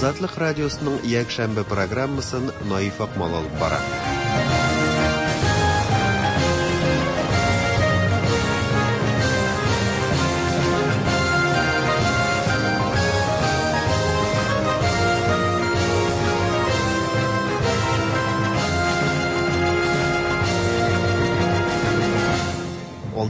Азатлык радиосының якшәмбе программасын Наиф Акмал алып бара.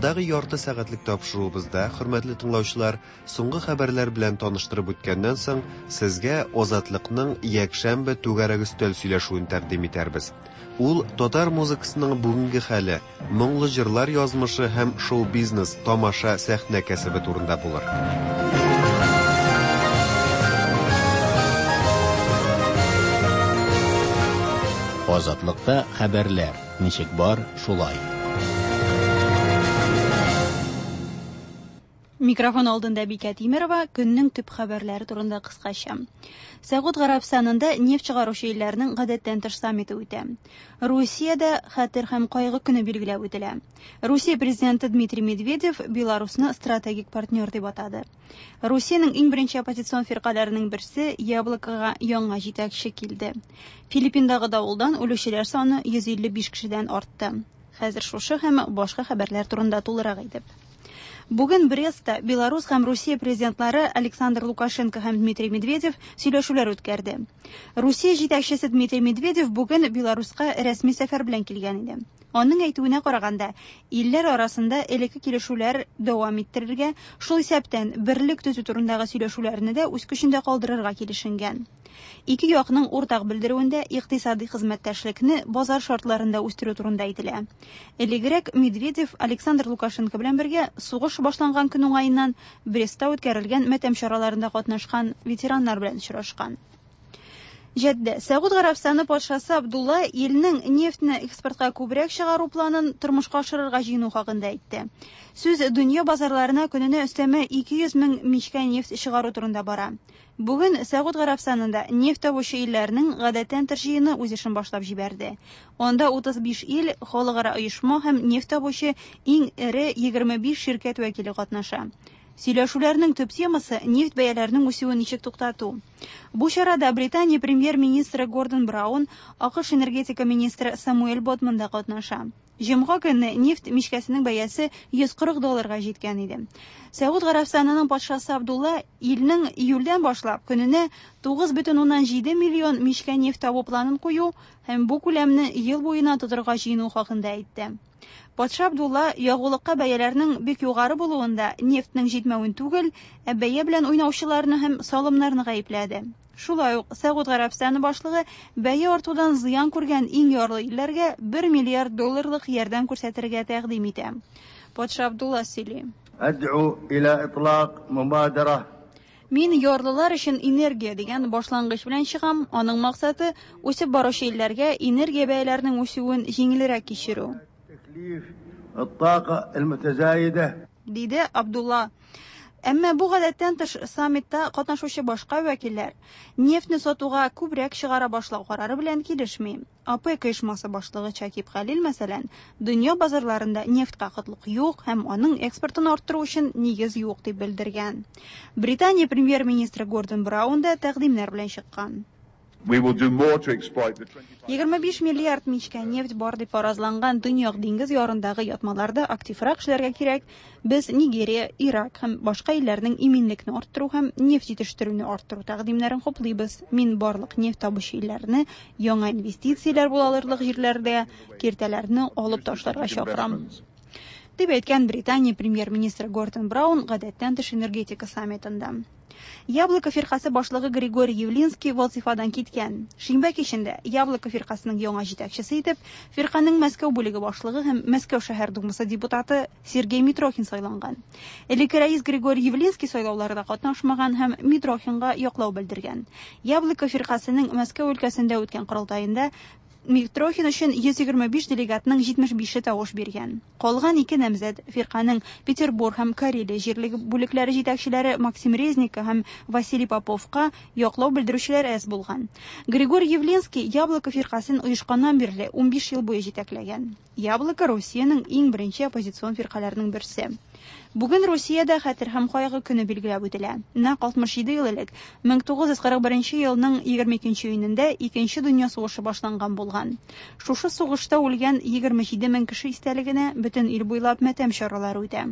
Алдагы ярты сәгатьлек тапшыруыбызда, хөрмәтле тыңлаучылар, соңгы хәбәрләр белән таныштырып үткәннән соң, сезгә Азатлыкның якшәмбе түгәрәк өстәл сөйләшүен тәкъдим итәрбез. Ул татар музыкасының бүгенге хәле, моңлы җырлар язмышы һәм шоу-бизнес, тамаша, сәхнә кәсебе турында булыр. Азатлыкта хәбәрләр ничек бар, шулай. Микрофон алдында Бикә Тимерова көннең төп хәбәрләре турында кыскача. Сәгуд Гарәбстанында нефть чыгаручы илләрнең гадәттән тыш саммиты үтә. Русиядә хәтер һәм кайгы көне билгеләп үтелә. Русия президенты Дмитрий Медведев Беларусны стратегик партнер дип атады. Русиянең иң беренче оппозицион фиркаләренең берсе Яблокога яңа җитәкче килде. Филиппиндагы давылдан үлүчеләр саны 155 кешедән артты. Хәзер шушы һәм башка хәбәрләр турында тулырак итеп. Бүген Брестта Беларус һәм Русия президентлары Александр Лукашенко һәм Дмитрий Медведев сөйләшүләр үткәрде. Русия җитәкчесе Дмитрий Медведев бүген Беларуска рәсми сәфәр белән килгән иде. Аның әйтүенә караганда, илләр арасында элекке килешүләр дәвам иттерергә, шул исәптән берлек төзү турындагы сөйләшүләрне дә үз көчендә калдырырга килешенгән. Ике якның уртак белдерүендә икътисади хезмәттәшлекне базар шартларында үстерү турында әйтелә. Элегрәк Медведев Александр Лукашенко белән бергә сугыш башланган көн уңаеннан Брестта үткәрелгән матәм чараларында катнашкан ветераннар белән очрашкан. Җәддә, Сәгуд Гарәбстаны патшасы Абдулла илнең нефтьне экспортка күбрәк чыгару планын тормышка ашырырга җыену хакында әйтте. Сүз дөнья базарларына көненә өстәмә 200 мең мичкә нефть чыгару турында бара. Бүген Сәгуд Гарәбстанында нефть табучы илләрнең гадәттән тыш җыены үз эшен башлап җибәрде. Анда 35 ил, халыкара оешма һәм нефть табучы иң эре 25 ширкәт вәкиле катнаша. Сөйләшүләрнең төп темасы нефть бәяләренең үсүен ничек туктату. Бу чарада Британия премьер-министры Гордон Браун, АКШ энергетика министры Самуэль Ботман да катнаша. Җомга көнне нефть мичкәсенең бәясе 140 долларга җиткән иде. Сәгуд Гарәбстанының патшасы Абдулла илнең июльдән башлап көненә 9,7 миллион мичкә нефть табу планын кую һәм бу күләмне ел буена тотырга җыену хакында әйтте. Патша Абдулла ягулыкка бәяләрнең бик югары булуында нефтьнең җитмәвен түгел, ә бәя белән уйнаучыларны һәм салымнарны гаепләде. Шулай ук Сәгуд Гарәбстаны башлыгы бәя артудан зыян күргән иң ярлы илләргә 1 миллиард долларлык ярдәм күрсәтергә тәкъдим итә. Патша Абдулла сөйли. أدعو إلى إطلاق مبادرة Мин ярлылар өчен энергия дигән башлангыч белән чыгам. Аның максаты үсеп баручы илләргә энергия бәяләренең үсүен җиңелрәк кичерү. تكليف الطاقة المتزايدة диде Абдулла. Әмма бу гадәттән тыш саммитта катнашучы башка вәкилләр нефтьне сатуга күбрәк чыгара башлау карары белән килешми. ОПЕК оешмасы башлыгы Чакип Хәлил, мәсәлән, дөнья базарларында нефтькә кытлык юк һәм аның экспортын арттыру өчен нигез юк дип белдергән. Британия премьер-министры Гордон Браун да тәкъдимнәр белән чыккан. We will do more to exploit the 25 миллиард мичкә нефть бар дип фаразланган Төньяк диңгез ярындагы ятмаларда активрак эшләргә кирәк. Без Нигерия, Ирак һәм башка илләрнең иминлекне арттыру һәм нефть җитештерүне арттыру тәкъдимнәрен хуплыйбыз. Мин барлык нефть табучы илләрне яңа инвестицияләр була алырлык җирләрдә киртәләрне алып ташларга чакырам. Дип әйткән Британия премьер-министры Гордон Браун гадәттән тыш энергетика саммитында. Яблоко фиркасе башлыгы Григорий Явлинский вазифадан киткән. Шимбә кичендә Яблоко фиркасының яңа җитәкчесе итеп фирканың Мәскәү бүлеге башлыгы һәм Мәскәү шәһәр думасы депутаты Сергей Митрохин сайланган. Элекке рәис Григорий Явлинский сайлауларда катнашмаган һәм Митрохинга яклау белдергән. Яблоко фиркасының Мәскәү өлкәсендә үткән корылтаенда Митрохин өчен 125 делегатның 75-е тавыш биргән. Калган ике намзәт фирканың Петербург һәм Карелия җирлеге бүлекләре җитәкчеләре Максим Резников һәм Василий Поповка яклау белдерүчеләр әз булган. Григорий Явлинский Яблоко фиркасын оешканнан бирле 15 ел буе җитәкләгән. Яблоко Русиянең иң беренче оппозицион фиркаләренең берсе. Бүген Русиядә Хәтер һәм кайгы көне билгеләп үтелә. Нәкъ 67 ел элек, 1941 елның 22 июнендә Икенче дөнья сугышы башланган булган. Шушы сугышта үлгән 27 мең кеше истәлегенә бөтен ил буйлап матәм чаралары үтә.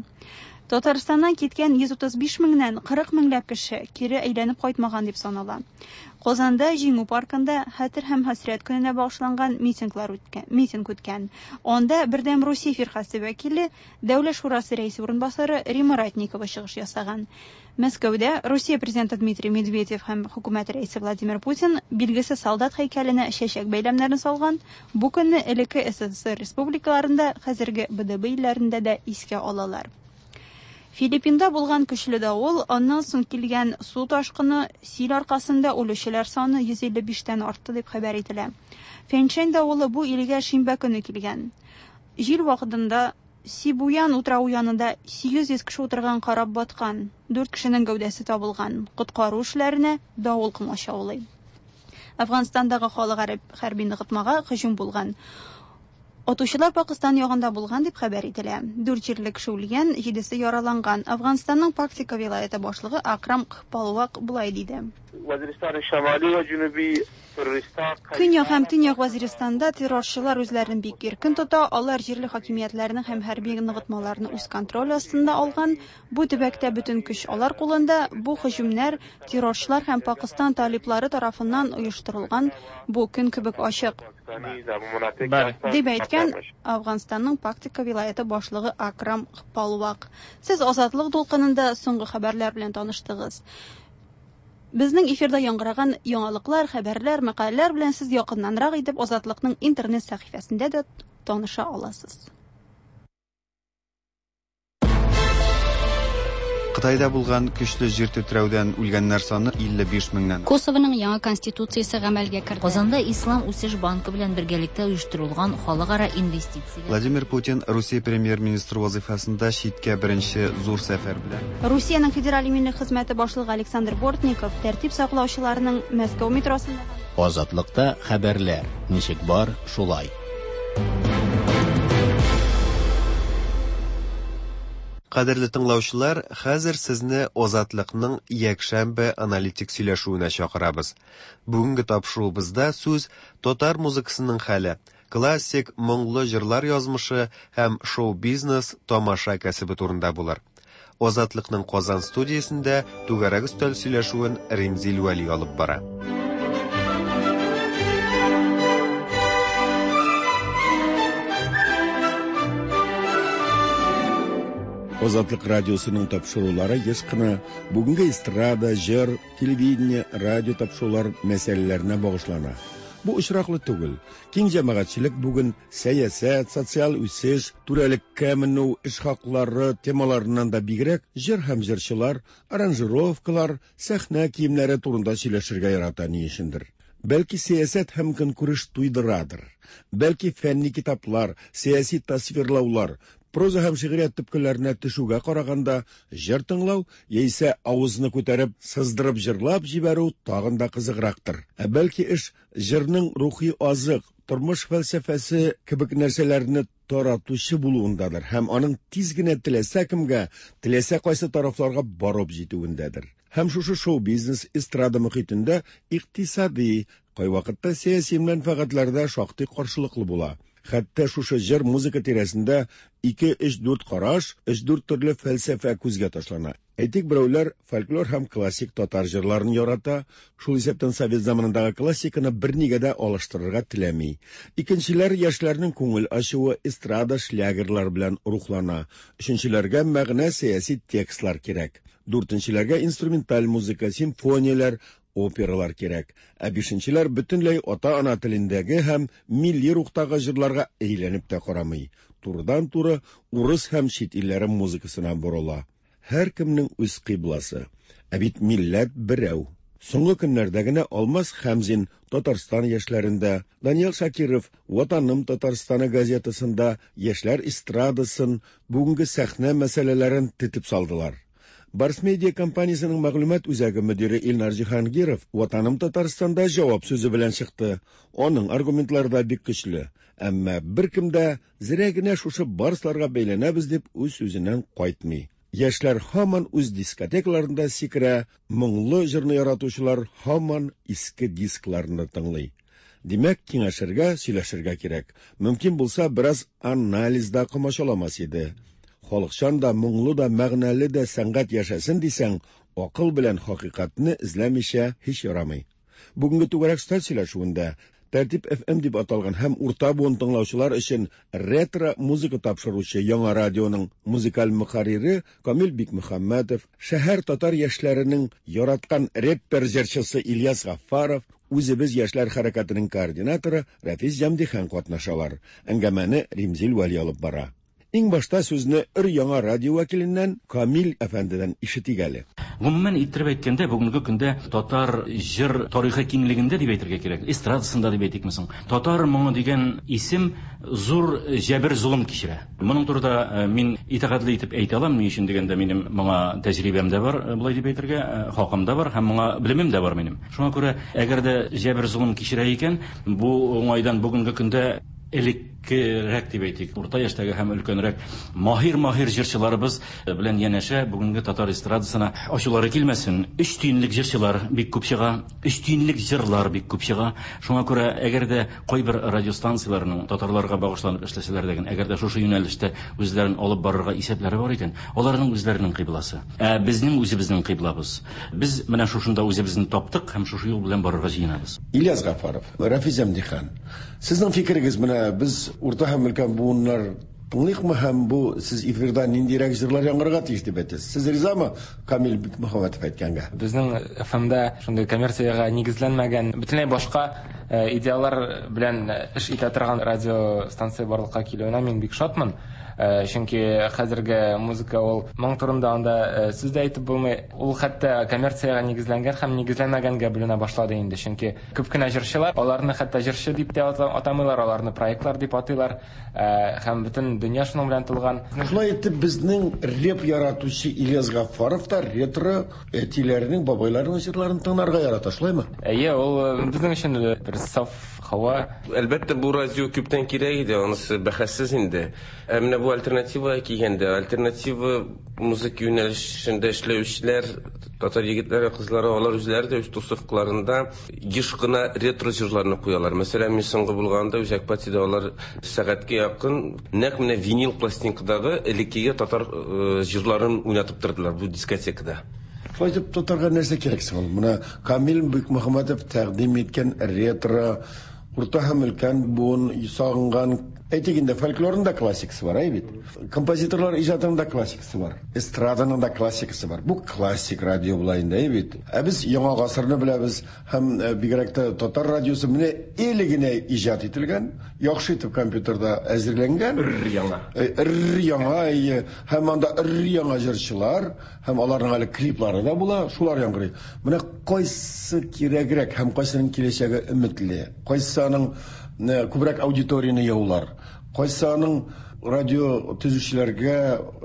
Татарстаннан киткән 135 меңнән 40 меңләп кеше кире әйләнеп кайтмаган дип санала. Казанда Җиңү паркында Хәтер һәм хәсрәт көненә багышланган митинглар үткән, митинг үткән. Анда Бердәм Русия фиркасе вәкиле, Дәүләт шурасы рәисе урынбасары Римма Ратникова чыгыш ясаган. Мәскәүдә Русия президенты Дмитрий Медведев һәм хөкүмәт рәисе Владимир Путин билгесез солдат һәйкәленә чәчәк бәйләмнәрен салган. Бу көнне элекке СССР республикаларында, хәзерге БДБ илләрендә дә искә алалар. Филиппинда булган көчле давыл, аннан соң килгән су ташкыны, сил аркасында үлүчеләр саны 155 тән артты дип хәбәр ителә. Фенчен давылы бу илгә шимбә көне килгән. Җил вакытында Сибуян утравы янында 800 кеше утырган кораб баткан, 4 кешенең гәүдәсе табылган. Коткару эшләренә давыл комачаулый. Әфганстандагы халык хәрби ныгытмага һөҗүм булган. Атучылар Пакыстан ягында булган дип хәбәр ителә. Дүрт җирле кеше үлгән, җидесе яраланган. Әфганстанның Пактика вилаяте башлыгы Акрам Кпалвак болай диде. Көньяк һәм Төньяк Вазиристанда террорчылар үзләрен бик иркен тота, алар җирле хакимиятләрне һәм хәрби ныгытмаларны үз контроль астында алган. Бу төбәктә бөтен көч алар кулында. Бу һөҗүмнәр террорчылар һәм Пакыстан талиблары тарафыннан оештырылган, бу көн кебек ачык. Дип әйткән Әфганстанның Пактика вилаяте башлыгы Акрам Палвак. Сез Азатлык дулкынында соңгы хәбәрләр белән таныштыгыз. Безнең эфирда яңгыраган яңалыклар, хәбәрләр, мәкаләләр белән сез якыннанрак итеп Азатлыкның интернет сәхифәсендә дә таныша аласыз. Кытайда булган көчле җир тетрәүдән үлгәннәр саны 55 меңнән. Косованың яңа конституциясе гамәлгә керде. Казанда Ислам үсеш банкы белән бергәлектә оештырылган халыкара инвестицияләр. Владимир Путин Русия премьер-министры вазыйфасында читкә беренче зур сәфәр белән. Русиянең Федераль иминлек хезмәте башлыгы Александр Бортников тәртип саклаучыларның Мәскәү метросында Азатлыкта хәбәрләр ничек бар, шулай. Кадерле тыңлаучылар, хәзер сезне Азатлыкның якшәмбе аналитик сөйләшүенә чакырабыз. Бүгенге тапшыруыбызда сүз татар музыкасының хәле, классик моңлы җырлар язмышы һәм шоу-бизнес тамаша кәсебе турында булыр. Азатлыкның Казан студиясендә түгәрәк өстәл сөйләшүен Римзил Вәли алып бара. Азатлык радиосының тапшырулары еш кына бүгенге эстрада, җыр, телевидение, радио тапшырулар мәсьәләләренә багышлана. Бу очраклы түгел. Киң җәмәгатьчелек бүген сәясәт, социаль үсеш, түрәлеккә менү, эш хаклары темаларыннан да бигрәк җыр һәм җырчылар, аранжировкалар, сәхнә киемнәре турында сөйләшергә ярата ни өчендер. Бәлки сәясәт һәм көнкүреш туйдырадыр. Бәлки фәнни китаплар, сәяси тасвирлаулар, проза һәм шигърият төпкелләренә төшүгә караганда җыр тыңлау яисә авызны күтәреп, сыздырып җырлап җибәрү тагын да кызыграктыр. Ә бәлки эш җырның рухи азык, тормыш фәлсәфәсе кебек нәрсәләрне таратучы булуындадыр һәм аның тиз генә теләсә кемгә, теләсә кайсы тарафларга барып җитүендәдер. Һәм шушы шоу-бизнес эстрада мөхитендә икътисади, кайвакытта сәяси мәнфәгатьләрдә шактый каршылыклы була. Хәтта шушы җыр музыка тирәсендә 2, 3, 4 караш, 3, 4 төрле фәлсәфә күзгә ташлана. Әйтик, берәүләр фольклор һәм классик татар җырларын ярата, шул исәптән совет заманындагы классиканы бернигә дә алыштырырга теләми. Икенчеләр яшьләрнең күңел ачуы эстрада шлягерлар белән рухлана. Өченчеләргә мәгънә сәяси текстлар кирәк. Дүртенчеләргә инструменталь музыка, симфонияләр, опералар кирәк. Ә бишенчеләр бөтенләй ата-ана телендәге һәм милли рухтагы җырларга әйләнеп тә карамый. Турыдан-туры урыс һәм чит илләре музыкасына борыла. Һәркемнең үз кыйбласы. Ә бит милләт берәү. Соңгы көннәрдә генә Алмаз Хәмзин Татарстан яшьләрендә, Даниил Шакиров Ватаным Татарстаны газетасында яшьләр эстрадасын, бүгенге сәхнә мәсьәләләрен тетеп салдылар. Барс Медиа компаниясының мәгълүмат үзәге мөдире Илнар Җиһангиров Ватаным Татарстанда җавап сүзе белән чыкты. Аның аргументлары да бик көчле. Әмма беркем дә зерә генә шушы барсларга бәйләнәбез дип үз сүзеннән кайтмый. Яшьләр һаман үз дискотекаларында сикерә, моңлы җырны яратучылар һаман иске дискларны тыңлый. Димәк, киңәшергә, сөйләшергә кирәк. Мөмкин булса, бераз анализ да комачауламас иде. Халыкчан да, моңлы да, мәгънәле дә сәнгать яшәсен дисәң, акыл белән хакыйкатьне эзләмичә һич ярамый. Бүгенге түгәрәк өстәл сөйләшүендә Тәртип FM дип аталган һәм урта буын тыңлаучылар өчен ретро музыка тапшыручы яңа радионың музыкаль мөхәррире Камил Бикмөхәммәтов, шәһәр татар яшьләренең яраткан рэппер җырчысы Ильяс Гаффаров, Үзебез яшьләр хәрәкәтенең координаторы Рәфис Җәмдихан катнашалар. Әңгәмәне Римзил Вәли алып бара. Иң башта сүзне өр-яңа радио вәкиленнән Камил әфәндедән ишетик әле. Гомумән иттереп әйткәндә, бүгенге көндә татар җыр тарихы киңлегендә дип әйтергә кирәк, эстрадасында дип әйтикме соң, татар моңы дигән исем зур җәбер-золым кичерә. Моның турыда э, мин итагатьле итеп әйтә алам, ни өчен дигәндә, минем моңа тәҗрибәм дә бар, э, болай дип әйтергә, э, хакым да бар һәм моңа белемем дә бар минем. Шуңа күрә, әгәр дә җәбер-золым кичерә икән, бу уңайдан бүгенге көндә элеккерәк дип әйтик, урта яшьтәге һәм өлкәнрәк маһир-маһир җырчыларыбыз белән янәшә бүгенге татар эстрадасына ачулары килмәсен, өч тиенлек җырчылар бик күп чыга, өч тиенлек җырлар бик күп чыга. Шуңа күрә, әгәр дә кайбер радиостанцияләрнең татарларга багышланып эшләсәләр дә, әгәр дә шушы юнәлештә үзләрен алып барырга исәпләре бар икән, аларның үзләренең кыйбласы. Ә безнең үзебезнең кыйблабыз. Без менә шушында үзебезне таптык һәм шушы юл белән барырга җыенабыз. Ильяс Гафаров, Рафис Әмдихан, сезнең фикерегез менә без урта һәм өлкән буыннар тыңлыйкмы һәм бу сез эфирда ниндирәк җырлар яңгырарга тиеш дип әйтәсез? Сез ризамы Камил Бикмөхәммәтов әйткәнгә? Безнең ФМда шундый коммерциягә нигезләнмәгән, бөтенләй башка э, идеалар белән эш итә торган радиостанция барлыкка килүенә мин бик шатмын. Э, чөнки хәзерге музыка ул моң турында анда э, сүз дә әйтеп булмый. Ул хәтта коммерциягә нигезләнгән һәм нигезләнмәгәнгә бүленә башлады инде. Чөнки күп кенә җырчылар, аларны хәтта җырчы дип тә атамыйлар, аларны проектлар дип атыйлар. Э, һәм бөтен дөнья шуның белән тулган. Шулай итеп, безнең реп яратучы Ильяс Гаффаров та ретро әтиләренең, бабайларының җырларын тыңларга ярата, шулаймы? Әйе, ул безнең өчен бер саф һава. Әлбәттә, бу радио күптән кирәк иде, анысы бәхәссез инде. Ә менә бу альтернативага килгәндә, альтернатива музыка юнәлешендә эшләүчеләр, татар егетләре, кызлары, алар үзләре дә үз тусовкаларында еш кына ретро җырларны куялар. Мәсәлән, мин соңгы булганда Үзәк патида алар сәгатькә якын нәкъ менә винил пластинкадагы элеккеге татар э, җырларын уйнатып тордылар бу дискотекада. Шулай итеп, татарга нәрсә кирәк соң ул? Менә Камил Бикмөхәммәтов тәкъдим иткән ретро урта һәм өлкән буын сагынган, әйтик инде, фольклорның да классикасы бар, әй бит. Композиторлар иҗатының да классикасы бар. Эстраданың да классикасы бар. Бу классик радио була инде, әй бит. Ә без яңа гасырны беләбез һәм э, бигрәк тә татар радиосы менә әле генә иҗат ителгән, яхшы итеп компьютерда әзерләнгән. Өр-яңа. Э, өр-яңа, әйе. Һәм анда өр-яңа җырчылар, Һәм аларның әле клиплары да була, шулар яңгырый. Менә кайсы кирәгрәк һәм кайсының киләчәге өметле, кайсы аның э, күбрәк аудиторияне яулар, кайсы аның радио төзүчеләргә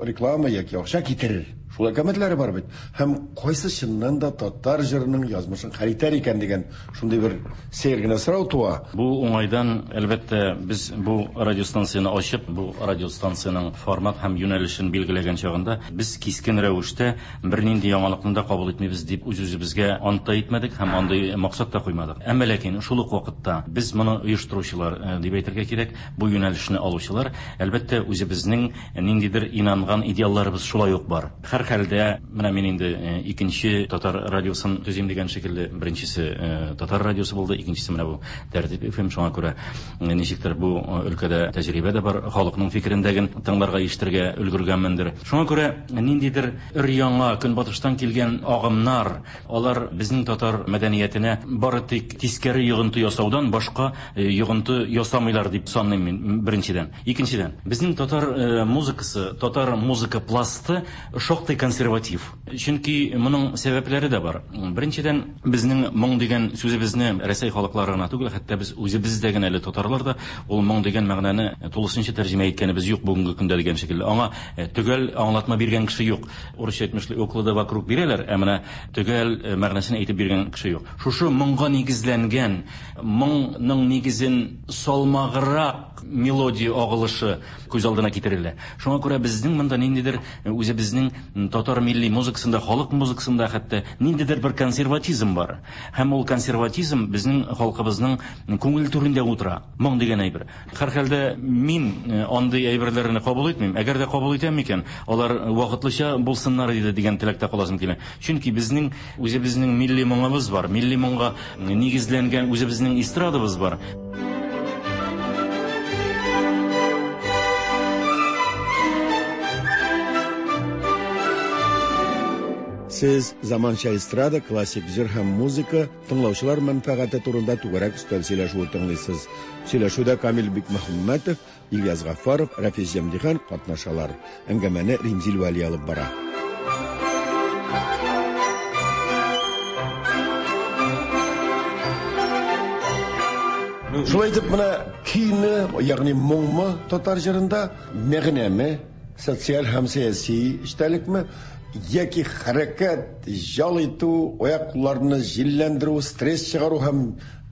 реклама яки акча китерер. Шулай кәмәтләре бар бит. Һәм кайсы чыннан да татар җырының язмышын хәл итәр икән дигән шундый бер сәер генә сорау туа. Бу уңайдан, әлбәттә, без бу радиостанцияне ачып, бу радиостанциянең формат һәм юнәлешен билгеләгән чагында, без кискен рәвештә бернинди яңалыкны да кабул итмибез дип үз-үзебезгә ант та итмәдек һәм андый максат та куймадык. Әмма ләкин шул ук вакытта без моны оештыручылар э, дип әйтергә кирәк, бу юнәлешне алучылар, әлбәттә, үзебезнең ниндидер инанган идеалларыбыз шулай ук бар. Һәрхәлдә, менә мин инде э, икенче татар радиосын төзим дигән шикелле, беренчесе э, татар радиосы булды, икенчесе менә бу Тәртип FM, шуңа күрә э, ничектер бу өлкәдә тәҗрибә дә бар, халыкның фикерен дә тыңларга, ишетергә өлгергәнмендер. Шуңа күрә ниндидер өр-яңа көнбатыштан килгән агымнар, алар безнең татар мәдәниятенә бары тик тискәре йогынты ясаудан башка йогынты ясамыйлар дип саныйм мин, беренчедән. Икенчедән, безнең татар э, музыкасы, татар музыка пласты шактый консерватив. Чөнки моның сәбәпләре дә бар. Беренчедән, безнең моң дигән сүзебезне Рәсәй халыклары гына түгел, хәтта без үзебез дә генә әле татарлар да ул моң дигән мәгънәне тулысынча тәрҗемә иткәнебез юк бүгенге көндә дигән шикелле. Аңа төгәл аңлатма биргән кеше юк. Урысча әйтмешли, уклады вокруг бирәләр, ә менә төгәл мәгънәсен әйтеп биргән кеше юк. Шушы моңга нигезләнгән, моңның нигезен салмаграк мелодия агылышы күз алдына китерелә. Шуңа күрә безнең монда ниндидер үзебезнең татар милли музыкасында, халык музыкасында хәтта ниндидер бер консерватизм бар. Һәм ул консерватизм безнең халкыбызның күңел түрендә утыра. Моң дигән әйбер. Һәрхәлдә мин андый әйберләрне кабул итмим. Әгәр дә кабул итәм икән, алар вакытлыча булсыннар иде дигән теләктә каласым килә. Чөнки безнең үзебезнең милли моңыбыз бар. Милли моңга нигезләнгән үзебезнең эстрадабыз бар. Сез заманча эстрада, классик җыр һәм музыка тыңлаучылар мәнфәгате турында түгәрәк өстәл сөйләшүе тыңлыйсыз. Сөйләшүдә Камил Бикмөхәммәтов, Ильяс Гафаров, Рафис Җәмдихан катнашалар. Әңгәмәне Римзил Вәли алып бара. Шулай итеп, менә көйме, ягъни моңмы татар җырында, мәгънәме, социаль һәм сәяси эчтәлекме, яки хәрәкәт, ял итү, аяк-кулларны җилләндерү, стресс чыгару һәм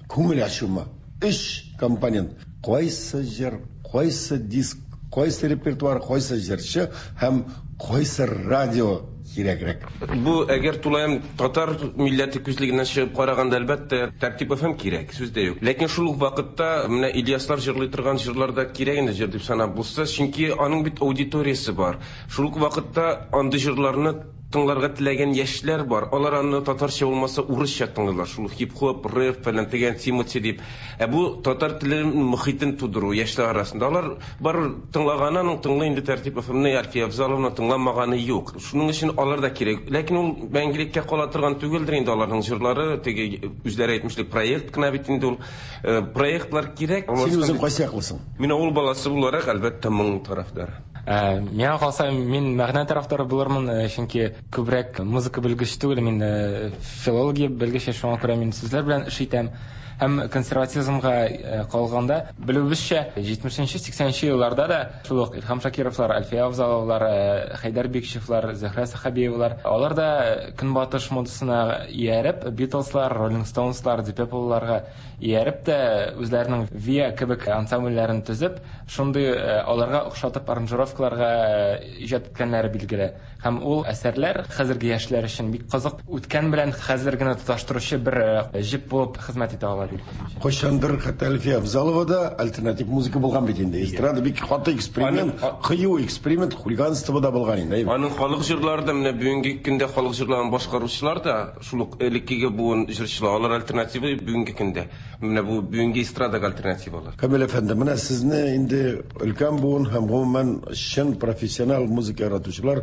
күңел ачумы? Өч компонент. Кайсы җыр, кайсы диск, кайсы репертуар, кайсы җырчы һәм кайсы радио кирәгрәк? Бу әгәр тулаем татар милләте күзлегеннән чыгып караганда, әлбәттә, Тәртип FM кирәк, сүз дә юк. Ләкин шул ук вакытта менә Ильяслар җырлый торган җырлар да кирәк инде җыр дип санап булса, чөнки аның бит аудиториясе бар. Шул ук вакытта андый җырларны тыңларга теләгән яшьләр бар. Алар аны татарча булмаса урысча тыңлыйлар. Шул хип-хоп, рэп фәлән дигән Тимати дип. Ә бу татар теле мохитен тудыру яшьләр арасында. Алар бар тыңлаганы аның тыңлый инде Тәртип FM-ны, Әлфия Авзаловны тыңламаганы юк. Шуның өчен алар да кирәк. Ләкин ул мәңгелеккә кала торган түгелдер инде аларның җырлары, теге үзләре әйтмешли проект кына бит инде ул. Проектлар кирәк. Син үзең кайсы яклысың? Мин авыл баласы буларак, әлбәттә, моң тарафдары. Миңа калса, мин мәгънә тарафдары булырмын, чөнки күбрәк музыка белгече түгел, мин филология белгече, шуңа күрә мин сүзләр белән эш итәм. Һәм консерватизмга калганда, белүебезчә, 70-80 елларда да шул ук Илһам Шакировлар, Әлфия Авзаловлар, Хәйдәр Бикчевлар, Зөһрә Сәхәбиевалар, алар да көнбатыш модасына ияреп, Битлслар, Роллинг Стоунслар, Deep Purple-ларга ияреп тә үзләренең Виа кебек ансамбльләрен төзеп, шундый аларга охшатып аранжировкаларга иҗат иткәннәре билгеле. Һәм ул әсәрләр хәзерге яшьләр өчен бик кызык, үткән белән хәзергене тоташтыручы бер җеп булып хезмәт итә ала дип. Кайчандыр хәтта Әлфия Авзалова да альтернатив музыка булган бит инде. Эстрада бик каты эксперимент, кыю эксперимент, хулиганство да булган инде. Аның халык җырлары да менә бүгенге көндә халык җырларын башкаручылар да шул ук элеккеге буын җырчылар, алар альтернатива бүгенге көндә. Менә бу бүгенге эстрадага альтернативалар. Камил әфәнде, менә сезне инде өлкән буын һәм гомумән чын профессионал музыка яратучылар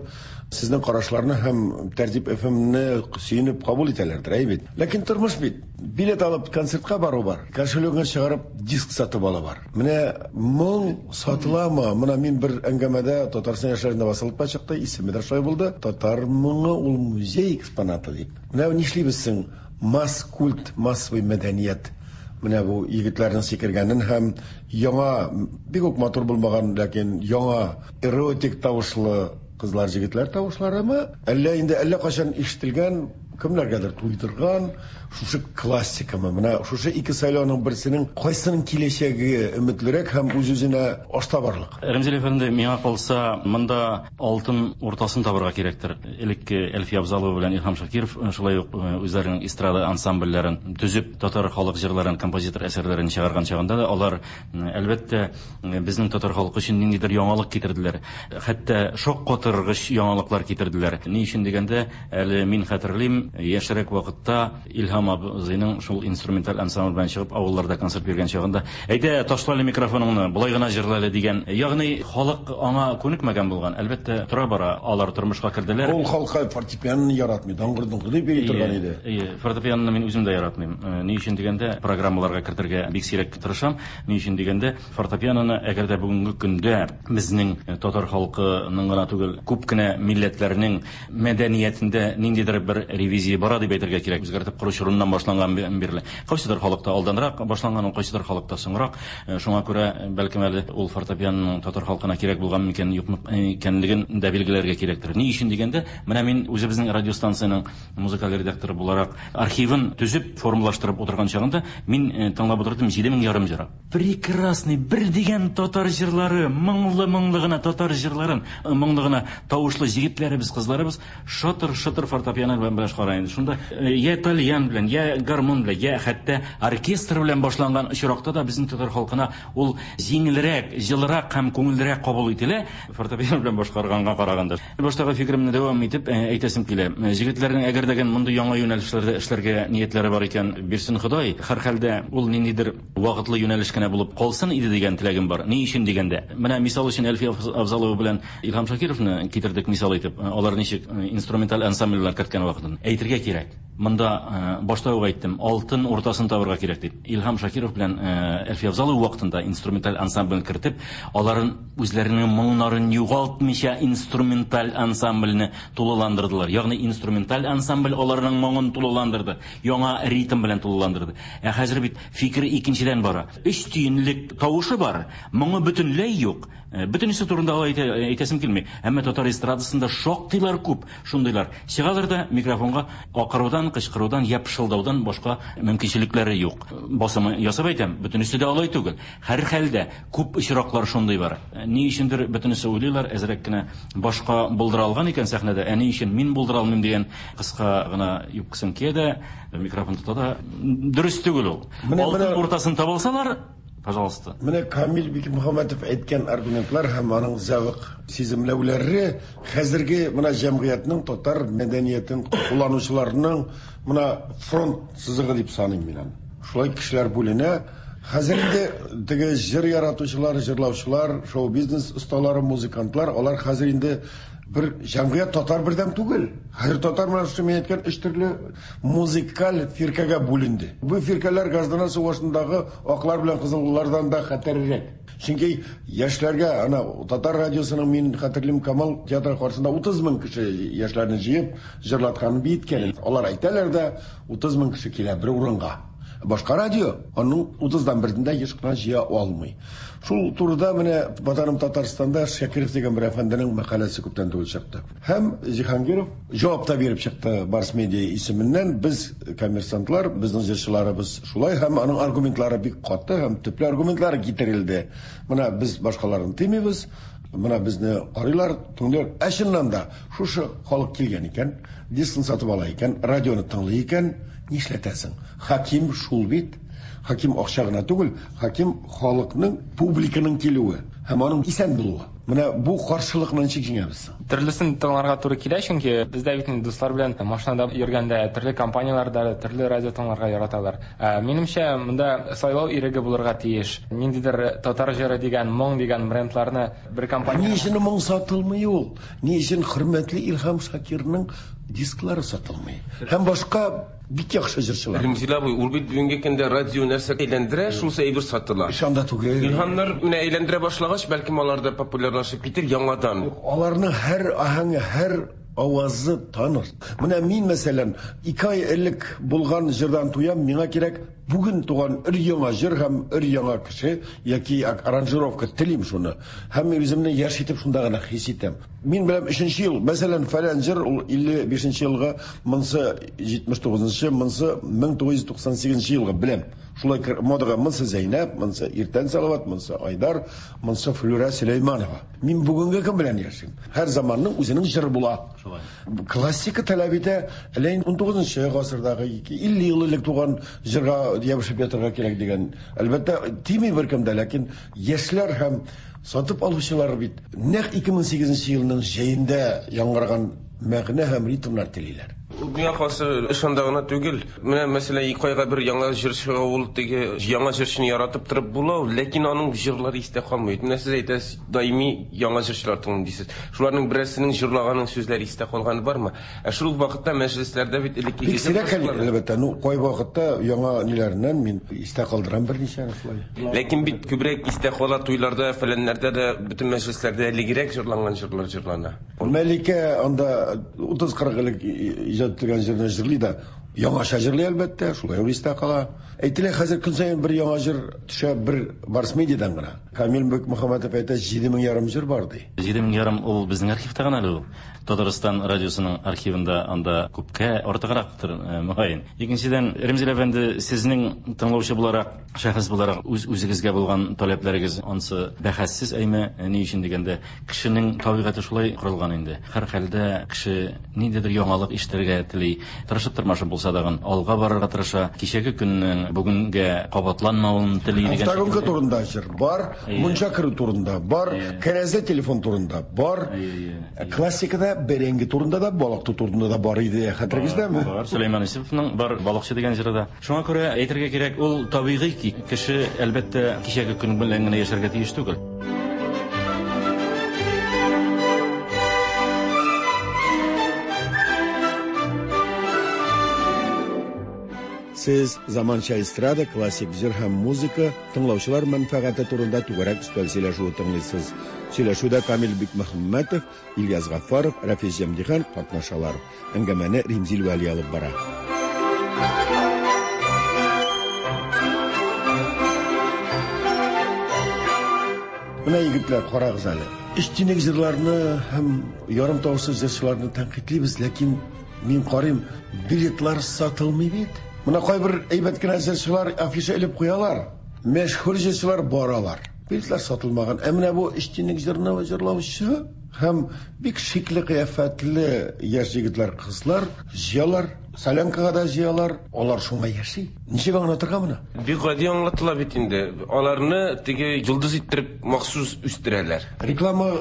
сезнең карашларны һәм Тәртип FM-не сөенеп кабул итәләрдер, әй бит. Ләкин тормыш бит. Билет алып концертка бару бар, кошелегыңа чыгарып диск сатып алу бар. Менә моң сатыламы? Менә мин бер әңгәмәдә Татарстан яшьләрендә басылып та чыкты, исеме дә шулай булды. Татар моңы ул музей экспонаты дип. Менә нишлибез соң? Масс культ, массовый мәдәният. Менә бу егетләрнең сикергәнен һәм яңа, бик үк матур булмаган, ләкин яңа эротик тавышлы кызлар, егетләр тавышларымы? Әллә инде әллә кайчан ишетелгән, кемнәргәдер туйдырган шушы классикамы? Менә шушы ике сайлауның берсенең кайсының киләчәге өметлерәк һәм үз-үзенә аштабарлык? Рәмзил әфәнде, миңа калса, монда алтын уртасын табырга кирәктер. Элекке Әлфия Авзалова белән Илһам Шакиров шулай ук үзләренең эстрада ансамбльләрен төзеп, татар халык җырларын, композитор әсәрләрен чыгарган чагында да алар, әлбәттә, безнең татар халкы өчен ниндидер яңалык китерделәр. Хәтта шаккатыргыч яңалыклар китерделәр. Ни өчен дигәндә, әле мин хәтерлим, Яшьрәк вакытта Илһам абзыйның шул инструменталь ансамбль белән чыгып авылларда концерт биргән чагында, "Әйдә, ташла әле микрофоныңны, болай гына җырла әле" дигән. Ягъни халык аңа күнекмәгән булган. Әлбәттә, тора-бара алар тормышка керделәр. Ул халыкка фортепианоны яратмый, даңгыр-доңгыр дип йөри торган иде. Әйе, фортепианоны мин үзем дә яратмыйм. Ни өчен дигәндә, программаларга кертергә бик сирәк тырышам. Ни өчен дигәндә, фортепианоны әгәр дә бүгенге көндә безнең татар халкының гына түгел, күп кенә милләтләрнең мәдәниятендә ниндидер бер ревизия бара дип әйтергә кирәк. Үзгәртеп кору чорыннан башланган бирле. Кайсыдыр халыкта алданрак башланган, ул кайсыдыр халыкта соңрак. Шуңа күрә, бәлкем әле ул фортепианоның татар халкына кирәк булган микән, юкмы икәнлеген дә билгеләргә кирәктер. Ни өчен дигәндә, менә мин үзебезнең радиостанциянең музыкаль редакторы буларак архивын төзеп, формалаштырып утырган чагында мин тыңлап утырдым 7500 җыр. Прекрасный, бер дигән татар җырлары, моңлы-моңлы гына татар җырларын, моңлы гына тавышлы җегетләребез, кызларыбыз шатыр-шытыр фортепиано белән башкара инде. Шунда я тальян белән, я гармун белән, я хәтта оркестр белән башланган очракта да безнең татар халкына ул җиңелрәк, җылырак һәм күңеллерәк кабул ителә фортепиано белән башкарганга караганда. Баштагы фикеремне дәвам итеп әйтәсем килә. Җегетләрнең әгәр дә мондый яңа юнәлешләрдә эшләргә ниятләре бар икән, бирсен Ходай. Һәрхәлдә ул ниндидер вакытлы юнәлеш кенә булып калсын иде дигән теләгем бар. Ни өчен дигәндә, менә мисал өчен Әлфия Авзалова белән Илһам Шакировны китердек мисал итеп. Алар ничек инструменталь ансамбльләр керткән вакытын. Әйтергә кирәк. Монда башта ук әйттем, алтын уртасын табырга кирәк дип. Илһам Шакиров белән Әлфия Авзалова вакытында инструменталь ансамбль кертеп, аларын үзләренең моңнарын югалтмыйча инструменталь ансамбльне тулыландырдылар. Ягъни инструменталь ансамбль аларның моңын тулыландырды, яңа ритм белән тулыландырды. Ә хәзер бит фикер икенчедән бара. Өч тиенлек тавышы бар, моңы бөтенләй юк. Бөтенесе турында алай әйтәсем килми. Әмма татар эстрадасында шактыйлар күп шундыйлар. Чыгалар да микрофонга акырудан, кычкырудан я пышылдаудан башка мөмкинчелекләре юк. Басымы ясап әйтәм, бөтенесе дә алай түгел. Һәрхәлдә күп очраклар шундый бар. Ни өчендер бөтенесе уйлыйлар, әзрәк кенә башка булдыра алган икән сәхнәдә, ә ни өчен мин булдыра алмыйм дигән кыска гына юбкасын кия дә, микрофон тота да. Дөрес түгел ул. Алтын уртасын таба алсалар, пожалуйста. Менә Камил Бикмөхәммәтов әйткән аргументлар һәм аның зәвык сиземләүләре хәзерге менә җәмгыятьнең татар мәдәниятен кулланучыларның менә фронт сызыгы дип саныйм мин аны. Шулай кешеләр бүленә. Хәзер инде теге җыр яратучылар, җырлаучылар, шоу-бизнес осталары, музыкантлар, алар хәзер инде бер җәмгыять татар бердәм түгел. Хәзер татар менә шушы мин әйткән өч төрле музыкаль фиркәгә бүленде. Бу фиркәләр гражданнар сугышындагы аклар белән кызыллардан да хәтәррәк. Чөнки яшьләргә, ана татар радиосының мин хәтерлим Камал театры каршында 30 мең кеше яшьләрне җыеп җырлатканын, биеткәнен. Алар әйтәләр дә, 30 мең кеше килә бер урынга. Башка радио аның 30-дан берендә еш кына җыя алмый. Шул турыда менә Ватаным Татарстанда Шакиров дигән бер әфәнденең мәкаләсе күптән түгел чыкты. Һәм Җиһангиров җавап та биреп чыкты Барс Медиа исеменнән. Без коммерсантлар, безнең җырчыларыбыз шулай, һәм аның аргументлары бик каты һәм төпле аргументлары китерелде. Менә без башкаларны тимибез, менә безне карыйлар, тыңлыйлар. Ә чыннан да шушы халык килгән икән, дискын сатып ала икән, радионы тыңлый икән, нишләтәсең? Хаким шул бит. Хаким акча гына түгел, хаким халыкның, публиканың килүе һәм аның исән булуы. Менә бу каршылыкны ничек җиңәбез? Төрлесен тыңларга туры килә, чөнки бездә бит инде дуслар белән машинада йөргәндә төрле компанияләрдә төрле радио тыңларга яраталар. Минемчә, монда сайлау иреге булырга тиеш. Ниндидер татар җыры дигән, моң дигән брендларны бер компания... Ни өчен моң сатылмый ул? Ни өчен хөрмәтле Илһам Шакирның дисклары сатылмый? Һәм башка бик яхшы җырчылар. Рәмзил абый, ул бит бүгенге көндә радио нәрсә әйләндерә, шунысы әйбер сатыла. Анда түгел. Илһамнар менә әйләндерә башлагач, бәлкем алар да популярлашып китер яңадан. Аларның һәр аһәңе, һәр авазы таныр. Менә мин, мәсәлән, 2 ай элек булган җырдан туям, миңа кирәк бүген туган өр-яңа җыр һәм өр-яңа кеше яки аранжировка телим шуны. Һәм мин үземне яшь итеп шунда гына хис итәм. Мин беләм 3 ел, мәсәлән, фәлән җыр ул 55 елга, монсы 79-нчы, монсы 1998 елга беләм. Шулай модага монсы Зәйнәп, монсы Иртән Салават, монсы Айдар, монсы Флюра Сөләйманова. Мин бүгенге көн белән яшим. Һәр заманның үзенең җыры була. Классика таләп итә, әле 19 гасырдагы 50 ел элек туган җырга ябышып ятырга кирәк дигән. Әлбәттә, тими беркем дә, ләкин яшьләр һәм сатып алучылар бит нәкъ 2008 елның җәендә яңгыраган мәгънә һәм ритмнар телиләр. Миңа калса, эш анда гына түгел. Менә мәсәлән, ике айга бер яңа җыр чыга, ул теге яңа җырчыны яратып торып була, ләкин аның җырлары истә калмый. Менә сез әйтәсез, даими яңа җырчылар тыңлыйм дисез. Шуларның берәрсенең җырлаганын сүзләре истә калганы бармы? Ә шул ук вакытта мәҗлесләрдә бит элеккеге Бик сирәк хәл, әлбәттә. Ну, кайвакытта яңа ниләреннән мин истә калдырам берничәне шулай. Ләкин бит күбрәк истә кала туйларда, фәләннәрдә дә, бөтен мәҗлесләрдә элегрәк җырланган җырлар җырлана. Мәликә анда 30-40 элек иҗат ителгән җырны җырлый да, яңача җырлый әлбәттә, шулай ук истә кала. Әйтелә, хәзер көн саен бер яңа җыр төшә бер Барс Медиадан гына. Камил Бекмөхәммәтов әйтә, 7,5 җыр бар ди. 7,5 ул безнең архивта гына әле ул. Татарстан радиосының архивында анда күпкә артыграктыр, мөгаен. Икенчедән, Ремзил әфәнде, сезнең тыңлаучы буларак, шәхес буларак үз-үзегезгә булган таләпләрегез ансы бәхәссез әйме, ни өчен дигәндә, кешенең табигате шулай корылган инде. Һәрхәлдә кеше ниндидер яңалык ишетергә тели, тырышып тырмашып булса дагын алга барырга тырыша, кичәге көннең бүгенгә кабатланмавын тели дигән Автогонка турында җыр бар, мунча керү турында бар, кәрәзле телефон турында бар. Классикада бәрәңге турында да, балык тоту турында да бар иде, хәтерегездәме? Бар, Сөләйман Юсуповның бар балыкчы дигән җыры да. Шуңа күрә әйтергә кирәк, ул табигый ки, кеше әлбәттә кичәге көн белән генә яшәргә тиеш түгел. Сез заманча эстрада, классик җыр һәм музыка тыңлаучылар мәнфәгате турында түгәрәк өстәл сөйләшүе тыңлыйсыз. Сөйләшүдә Камил Бикмөхәммәтов, Ильяс Гафаров, Рафис Җәмдихан катнашалар. Әңгәмәне Римзил Вәли алып бара. Менә егетләр, карагыз әле. Өч тинек җырларны һәм ярым тавышлы җырчыларны тәнкыйтьлибез, ләкин мин карыйм, билетлар сатылмый бит. Менә кайбер әйбәт кенә җырчылар афиша элеп куялар. Мәшһүр җырчылар баралар. Билетлар сатылмаган. Ә менә бу өч тинек җырны җырлаучы һәм бик шикле кыяфәтле яшь егетләр, кызлар җыялар, солянкага да җыялар, алар шуңа яши. Ничек аңлатырга моны? Бик гади аңлатыла бит инде. Аларны теге йолдыз иттереп махсус үстерәләр. Реклама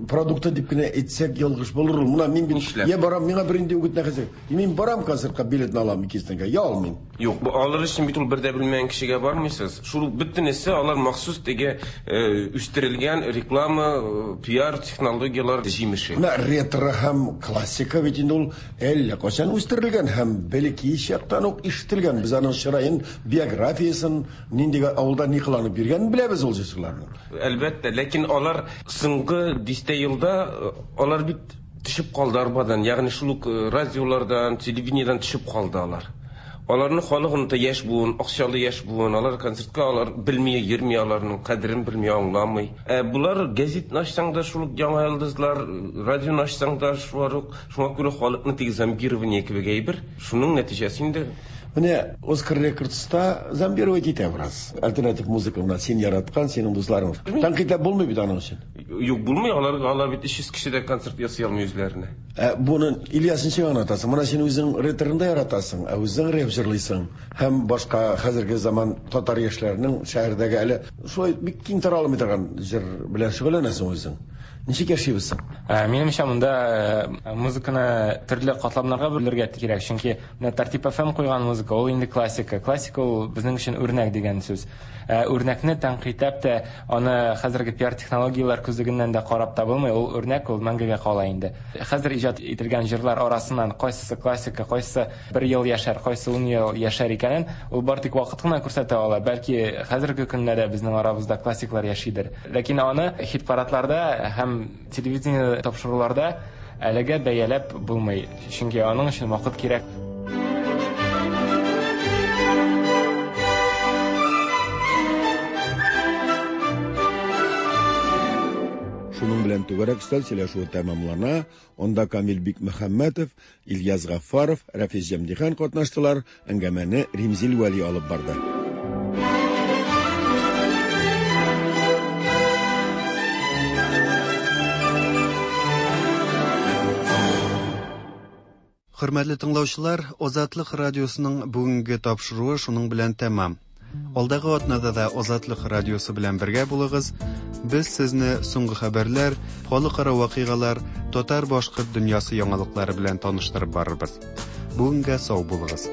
продукты дип кенә әйтсәк ялгыш булыр ул. Менә мин бит я барам, миңа бернинди үгет нәхәсе. Мин барам концертка, билетны алам икесенә, я алмыйм. Юк, бу алыр өчен бит ул бер дә белмәгән кешегә бармыйсыз. Шул бөтенесе алар махсус теге үстерелгән реклама, пиар технологияләр җимеше. Менә ретро һәм классика бит инде ул әллә кайчан үстерелгән һәм бәлки чактан ук ишетелгән. Без аның чыраен, биографиясын, нинди авылда ни кыланып йөргәнен беләбез ул җырчыларның. Әлбәттә, ләкин алар соңгы дистә елда алар бит төшеп калды арбадан, ягъни шул ук радиолардан, телевидениедән төшеп калды алар. Аларны халык оныта, яшь буын, акчалы яшь буын, алар концертка алар белми, йөрми, аларның кадерен белми, аңламый. Ә булар газетны ачсаң да шул ук яңа йолдызлар, радионы ачсаң да шулар ук. Шуңа күрә халыкны теге зомбирование кебек әйбер. Шуның нәтиҗәсе инде. Менә Оскар Рекордста зомбировать итә бераз. Альтернатив музыка менә син яраткан, синең дусларың. Тәнкыйтьләп булмый бит аның өчен. Юк, булмый, алар, алар бит 300 кеше дә концерт ясый алмый үзләренә. Ә буны Ильяс ничек аңлатасың? Менә син үзең рэперны да яратасың, ә үзең рэп җырлыйсың. Һәм башка хәзерге заман татар яшьләренең шәһәрдәге әле шулай бик киң таралмый торган җыр белән шөгыльләнәсең үзең. Ничек яшибез соң? Минемчә, монда музыканы төрле катламнарга бүлергә кирәк, чөнки менә Тәртип FM куйган музыка ул инде классика. Классика ул безнең өчен үрнәк дигән сүз. Үрнәкне тәнкыйтьләп тә, аны хәзерге пиар технологияләр күзлегеннән дә карап та булмый, ул үрнәк ул мәңгегә кала инде. Хәзер иҗат ителгән җырлар арасыннан кайсысы классика, кайсысы бер ел яшәр, кайсы 10 ел яшәр икәнен ул бар тик вакыт кына күрсәтә ала. Бәлки хәзерге көндә дә безнең арабызда классиклар яшидер. Ләкин аны хит-парадларда һәм телевидение тапшыруларда әлегә бәяләп булмый, чөнки аның өчен вакыт кирәк. Шуның белән түгәрәк өстәл сөйләшүе тәмамлана. Анда Камил Бикмөхәммәтов, Ильяс Гафаров, Рафис Җәмдихан катнаштылар. Әңгәмәне Римзил Вәли алып барды. Хөрмәтле тыңлаучылар, Азатлык радиосының бүгенге тапшыруы шуның белән тәмам. Алдагы атнада да Азатлык радиосы белән бергә булыгыз. Без сезне соңгы хәбәрләр, халыкара вакыйгалар, татар-башкорт дөньясы яңалыклары белән таныштырып барырбыз. Бүгенгә сау булыгыз.